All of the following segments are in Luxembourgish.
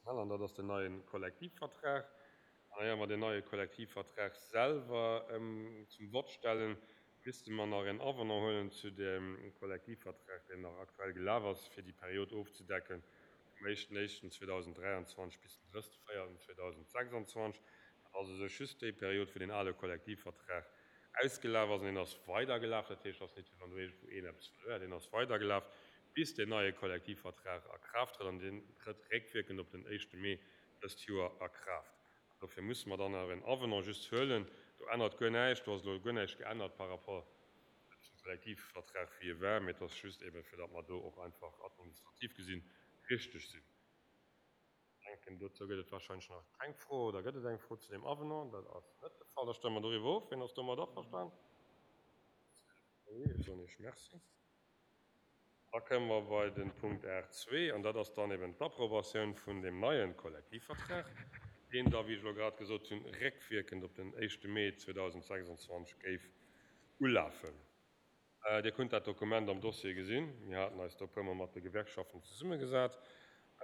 Personnel an dat ass den neie Kollektivvertrag. An éier mer deen neie Kollektivvertrag selwer zum Vott stellen, misste mer nach en Avenant huelen zu dem Kollektivvertrag, deen nach aktuell gelaf ass, fir déi Period ofzedecken vum éischten éischten 2023 bis den drësste véierten 2026. Dat ass u sech just déi Period, wou deen ale Kollektivvertrag ausgelaf ass an deen ass weidergelaf. Dat heescht, et ass net wéi wann do iergendwou een eppes verluer hätt. Deen ass weidergelaf, bis deen neie Kollektivvertrag a Kraaft trëtt an deen trëtt réckwierkend op den éischte Mee dëst Joer a Kraaft. An dofir musse mer dann awer en Avenant just huelen. Do ännert guer näischt, do ass elo guer näischt geännert par rapport zum Kollektivvertrag wéi e war, mee et ass just eeben, fir datt mer do och einfach administrativ gesinn richteg sinn. Ech denken, dozou gëtt et wahrscheinlech nach keng Fro. Oder gëtt et eng Fro zu deem Avenant? Dat ass net de Fall. Da stëmme mer doriwwer of. Wien ass domat averstan? Ech soen Iech Merci. Da kënne mer bei de Punkt 8.2, an dat ass dann eben d'Approbatioun vun deem neie Kollektivvertrag, deen da, wéi ech elo grad gesot hunn, réckwierkend op den éischte Mee 2026 géif ulafen. Dir kunnt dat Dokument am Dossier gesinn. Mir haten eis do e puermol mat de Gewerkschaften zesummegesat.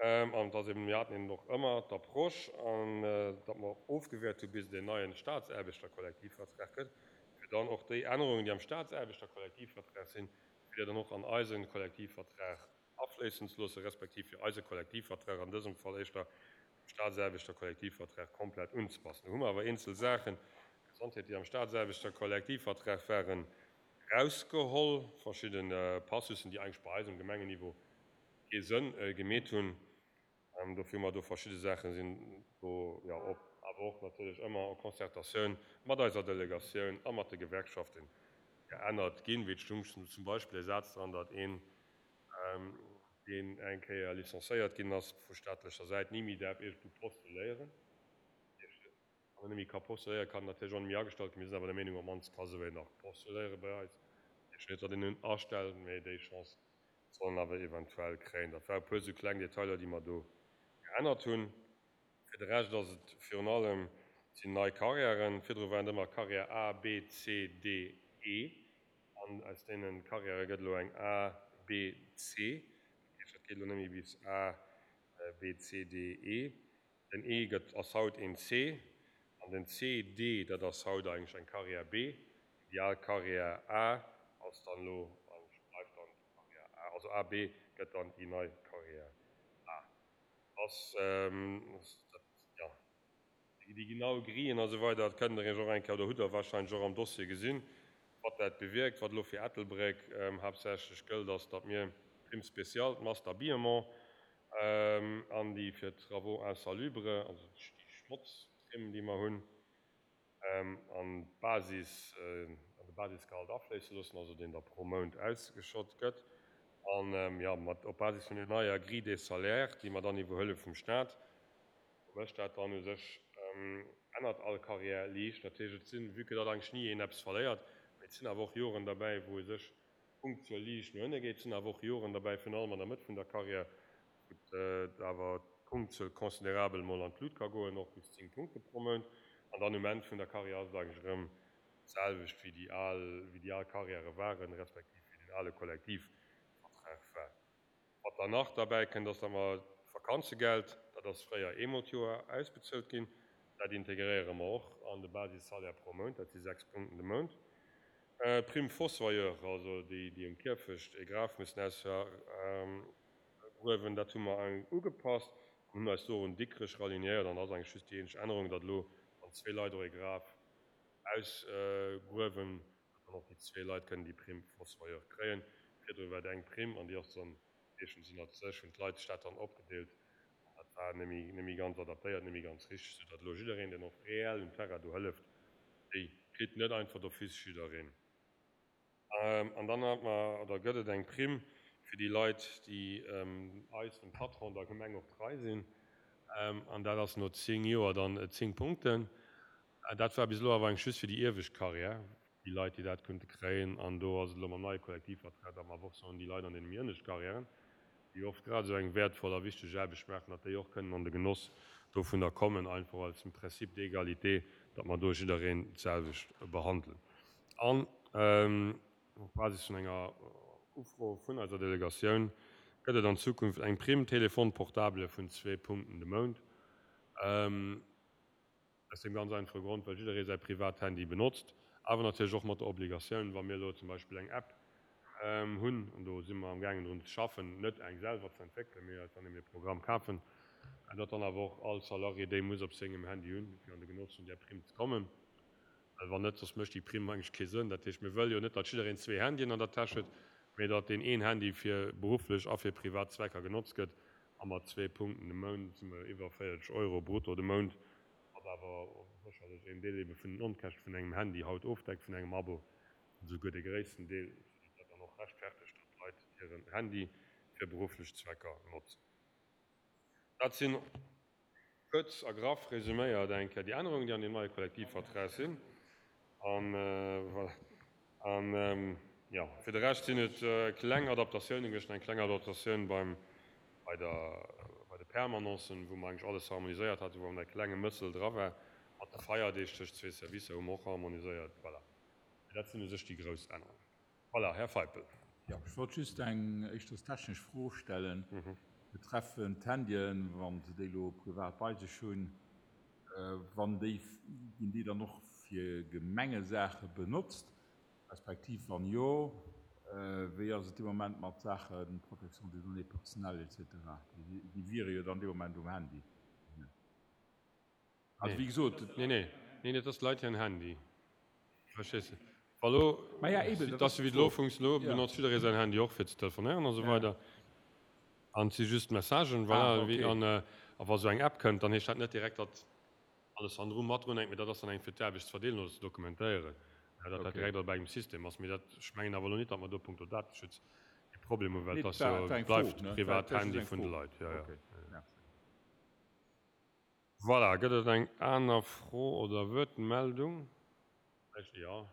An et ass eben, mir haten eben och ëmmer d'Approche, an datt mer ofgewäert hu bis et en neie Staatsaarbechterkollektivvertrag gëtt, fir dann och déi Ännerungen, déi am Staatsaarbechterkollektivvertrag sinn, fir déi dann och an eise Kollektivvertrag afléissen ze loossen, respektiv fir eise Kollektivvertrag, an dësem Fall éischter dem Staatsaarbechter-Kollektivvertrag, komplett unzepassen. Do hu mer awer eenzel Saachen, Gesondheet, déi am Staatsaarbechter-Kollektivvertrag waren, erausgeholl, verschidde Passussen, déi eigentlech bei eis um Gemengenniveau kee Sënn gemeet hunn. Dofir hu mer do verschidde Saache sinn do jo op, awer och natierlech ëmmer en Concertatioun mat eiser Delegatioun a mat de Gewerkschaften geännert ginn. Wéi et stung zum Beispill e Saz dran, datt een, deen eng Kéier licencéiert ginn ass vu staatlecher Säit, ni méi däerf iergendwou postuléieren. Wann en net méi ka postuléieren, kann en natierlech och net méi agestallt ginn. Mir sinn awer der Meenung, op d'mannst ka sou een nach postuléiere bei eis. Dat heescht net, datt een en astellt, mee déi Chance soll en awer eventuell kréien. Dat ware e puer sou kleng Detailer, déi mer do geännert hunn. Fir de Rescht ass et virun allem, et sinn nei Carrièren. Virdru waren et ëmmer Carrière A, B, C, D, E. An aus deene Carrièrë gëtt elo eng A, B, C. Dat heescht, dat geet elo net méi bis A, B, C, D, E. Den E gëtt, ass haut een C. An den C, D, dat ass haut eigentlech eng Carrière B. Déi al Carrière A ass dann elo, bleift dann déi Carrière A. Also A, B gëtt dann déi nei Carrière A. Ass dat, jo, déi genau Grillen a sou weider, dat kënnt Der Iech och eng Kéier, oder hutt Der warscheinlech och am Dossier gesinn, wat dat bewierkt. Wat elo fir Ettelbréck haaptsächlech gëllt, ass, datt mir d'Prime spéciale, d'Masse d'habillement an déi fir d'Travaux insalubres, also déi Schmotzprimm, déi mer hunn, an d'Basis, an de Basisgehalt afléisse loossen, also deen da pro Mount ausgeschott gëtt, an, jo, mat op Basis vun der neier Grille des salaires, déi mer dann iwwerhuele vum Stat, do mécht dat dann u sech, ännert all Carrière liicht. Natierlech, et sinn, vue que datt eigentlech ni een eppes verléiert, mee et sinn awer och Joren derbäi, wou u sech d'Punktzuel liicht no ënne geet, et sinn awer och Joren derbäi, virun allem an der Mëtt vun der Carrière, wou et awer d'Punktzuel considerabel mol an d'Lut ka goen, och bis 10 Punkte pro Mount. An dann um Enn vun der Karriär ass et eigentlech erëm d'selwecht wéi déi al, wéi déi al Karriäre waren, respektiv wéi den ale Kollektivvertrag war. Wat dann nach derbäi kënnt, ass, datt mer d'Vakanzegeld, dat ass fréier eemol d'Joer ausbezuelt ginn, dat integréiere mer och an de Basissalaire pro Mount, dat si 6 Punkten de Mount. D'Prime fossoyeur, also déi, déi um Kierfecht e Graf mussen ausgruewen, dat hu mer ugepasst an hunn eis do un Dikrech ralignéiert. An dat ass eigentlech just déi eenzeg Ännerung, datt elo, wann zwee Leit och e Graf ausgruewen, datt dann och déi zwee Leit kënnen déi Prime fossoyeur kréien. Virdru war et eng Prime an déi ass dann meeschtens ënnert sech, hunn d'Leit sech dat dann opgedeelt an dat war net méi, net méi ganz adaptéiert, net méi ganz richteg, soudatt elo jiddereen, deen och reell um Terrain do hëlleft, Déi kritt net einfach d'office jiddereen. An dann hat mer, oder gëtt et eng Primm fir déi Leit, déi eis, dem Patron, der Gemeng och trei sinn. An dat ass no 10 Joer dann 10 Punkten. Dat war bis elo awer eigentlech just fir déi iewescht Carrière, déi Leit, déi dat konnte kréien. An do ass et elo mam neie Kollektivvertrag, datt mer awer och soen, déi Leit an deene méi ënnescht Carrièren, déi oft grad esou eng wäertvoll a wichteg Aarbecht maachen, datt déi och kënnen an de Genoss dovunner kommen, einfach als dem Principe d'égalité, datt mer do jiddereen d'selwecht behandelen. An op Basis vun enger Ufro vun eiser Delegatioun. Gëtt et an Zukunft eng Prime Téléphone portable vun zwee Punkten de Mount. Aus deem ganz einfache Grond, well jidderee säi privat Handy benotzt, awer natierlech och mat der Obligatioun, wa mir elo zum Beispill eng App hunn, an do si mer amgaangen drun ze schaffen, net eng selwer ze entwéckelen, mee eis dann eben e Programm kafen, datt dann awer och all Salarié déi muss op sengem Handy hunn, fir an de Genoss vun där Prime ze kommen. Well wann net, soss mécht déi Primm eigentlech kee Sënn. Dat heescht, mir wëlle jo net, datt jiddereen zwee Handyen an der Täsch huet, mee datt deen een Handy fir berufflech a fir privat Zwecker genotzt gëtt. A mat zwee Punkten de Mount si mer iwwer 40 Euro brutto de Mount, wat awer sécherlech een Deel ebe vun den Onkäschte vun engem Handy haut ofdeckt, vun engem Abo, esouguer de gréissten Deel, soudatt dat dann och rechtfertegt, datt d'Leit hiren Handy fir berufflech Zwecker notzen. Dat sinn Kuerz a graff resuméiert eng Kéier déi Ännerungen, déi an deem neie Kollektivvertrag sinn. An voilà. An, jo, fir de Rescht sinn et kleng Adaptatiounen gewiescht, eng kleng Adaptatioun beim, bei der, bei de Permanencen, wou mer eigentlech alles harmoniséiert haten, wou awer nach e klenge Mëssel dra war. Mat de Feierdeeg tëscht zwee Servicer hu mer och harmoniséiert. Voilà. Mee dat sinn u sech déi grouss Ännerungen. Voilà, Här Feipel. Jo, ech wollt just eng éischters technesch Fro stellen betreffend d'Handyen, wa se déi elo privat bei sech hunn, wann déi, ginn déi dann och fir Gemengesaache benotzt, respektiv wann jo, wéi ass et dee Moment mat Saache Protection des données personnelles et cetera? Déi wiere jo dann dee Moment um Handy. Also wéi gesot. Nee, nee, nee, dat ass d'Leit hiren Handy. Verstees de? Wa lo, et ass jo wéi et elo funktioniert, elo benotzt jidderee säin Handy och fir ze telefonéieren a sou weider. An et si just Messagen, voilà. An a wa sou eng App kënnt, dann heescht dat net direkt, datt alles hannendru mat drun hänkt, mee dat ass dann eng fir d'Aarbecht ze verdeelen oder ze dokumentéieren, datt dat direkt all bei engem System ass. Mee dat, ech mengen awer elo net, datt mer do punkto Dateschutz e Problem hunn, well et ass jo, bleift privat Handy vun de Leit. Jo, jo. Voilà, gëtt et eng aner Fro oder Wuertmeldung? Vläicht, jo,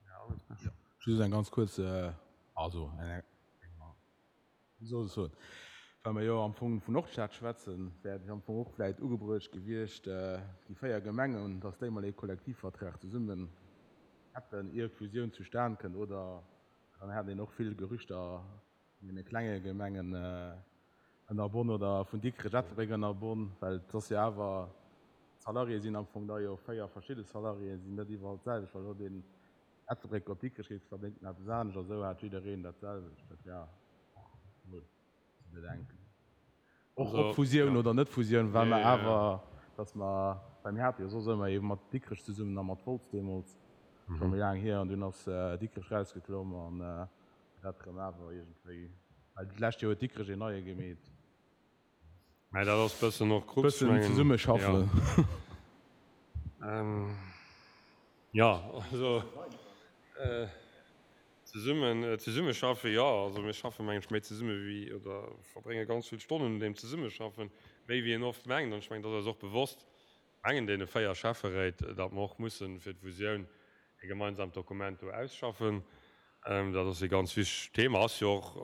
Här Angelsberg. Just eng ganz kuerz, also eng, wéi soll ech soen, well mer jo am Fong vun Nordstad schwätzen, wär et am Fong och vläicht ugebruecht gewiescht, déi 4 Gemengen, dass déi mol ee Kollektivvertrag zesummen hätten, ier d'Fusioun zustan kënnt, oder dann hätt een och vill Gerüchter vun deene klenge Gemengen ënnerbonn oder vun Dikrech, Ettelbréck ënnerbonn, well et ass jo awer, d'Salariéë sinn am Fong da jo 4 verschidde Salariéen, sinn net iwwerall d'selwecht, well elo deen Ettelbréck op Dikrech geet, verdéngt en eppes anescht a sou hat jiddereen dat selwecht. Dat wär och emol ze bedenken. Och ob Fusioun oder net Fusioun, well mer awer, dass mer, well mir hate jo soss ëmmer ee mat Dikrech zesummen a mat Wolz deemools, scho méi laang hier, an dunn ass Dikrech rausgeklomm an dat rëm awer iergendwéi, well d'lescht Joer huet Dikrech een neie gemeet. Mä dat ass bëssen och Krux, ech mengen. Bëssen zesummeschaffen. Jo, also zesummen, zesummeschaffen, jo, also mir schaffen, mengen ech, méi zesumme wéi, oder verbrénge ganz vill Stonnen un deem Zesummeschaffen, méi wéi een oft mengt. An ech mengen, dat ass eis och bewosst, mengen deene 4 Schäfferéit, datt mer och mussen fir d'Fusioun e gemeinsamt Dokument do ausschaffen. Dat ass e ganz wichtegt Thema, ass jo och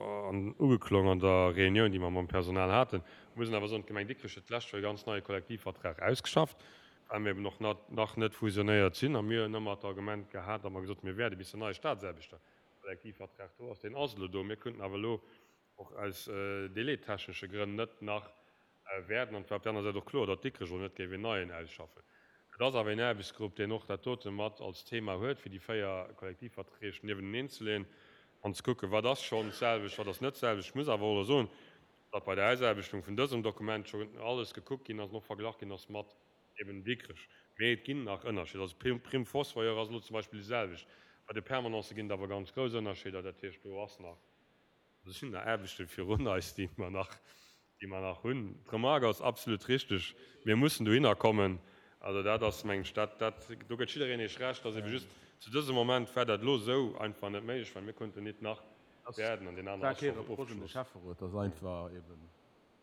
ugeklong an der Reunioun, déi mer mam Personal haten. Ech muss awer soen, d'Gemeng Dikrech huet d'lescht Joer e ganz neie Kollektivvertrag ausgeschafft, well mir eben och nach net fusionéiert sinn. A mir hunn ëmmer d'Argument gehat, datt mer gesot hunn, mir wäerden, bis den neie Staatsaarbechterkollektivvertrag do ass, deen ass elo do, mir könnten awer elo och aus délaittechnesche Grënn net nach wäerten. An et war op där aner Säit och kloer, datt Dikrech elo net géif een neien ausschaffen. Et ass awer een Aarbechtsgrupp, deen och dat dote mat als Thema huet, fir déi 4 Kollektivverträg niewenteneen ze leeën an ze kucken, wat ass schonn d'selwecht, wat ass net d'selwecht. Ech muss awer och elo soen, datt bei der Ausaarbechtung vun dësem Dokument schonn alles gekuckt ginn ass an och verglach ginn ass mat eben Dikrech. Mee et ginn nach Ënnerscheeder. Also d'Prime fossoyeur ass elo zum Beispill déi selwecht. Bei de Permanencë ginn et awer ganz grouss Ënnerscheeder. Dat heescht, do ass nach. Do sinn nach Aarbechte virun eis, déi mer nach, déi mer nach hunn. D'Remarque ass absolut richteg. Mir mussen dohinner kommen. Also dat ass, mengen ech, dat, dat, do gëtt jiddereen Iech Recht. Ass ebe just, zu dësem Moment war dat elo esou einfach net méiglech, well mir konnten nit nach wäerden an deen aneren ass schonn ofgeschloss. Dat ass einfach eben.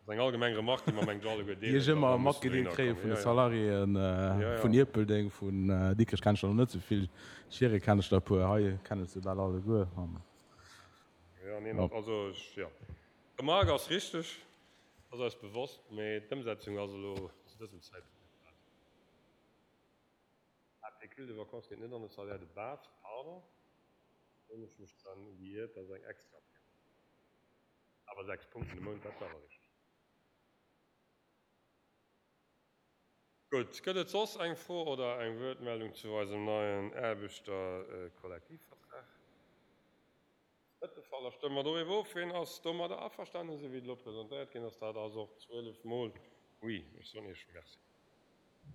Dat ass eng allgemeng Remarque, déi mer, mengen ech, alleguer deelen, Déi ech ëmmer matgedeelt kréie vun de Salariéen vun Ierpeldeng, vun Dikrech kennen ech der nach net esou vill, Schiere kennen ech der e puer, hei kennen ech se bal alleguer. Jo, neen, also ech, jo. D'Remarque ass richteg, ass eis bewosst, mee d'Ëmsetzung ass elo zu dësem Zäitpunkt net grad. Ah, Pécule de vacances geet net an de Salaire de base, pardon, do hunn ech mech dann geirrt, dat ass eng extra Prime. Awer 6 Punkten de Mount, dat war awer richteg. Gutt, gëtt et soss eng Fro oder eng Wuertmeldung zu eisem neien Aarbechterkollektivvertrag? Net de Fall. Da stëmme mer doriwwer of. Ween ass domadder averstanen, esou wéi et elo presentéiert ginn ass? Dat ass och 12 mol Oui. Ech soen Iech Merci.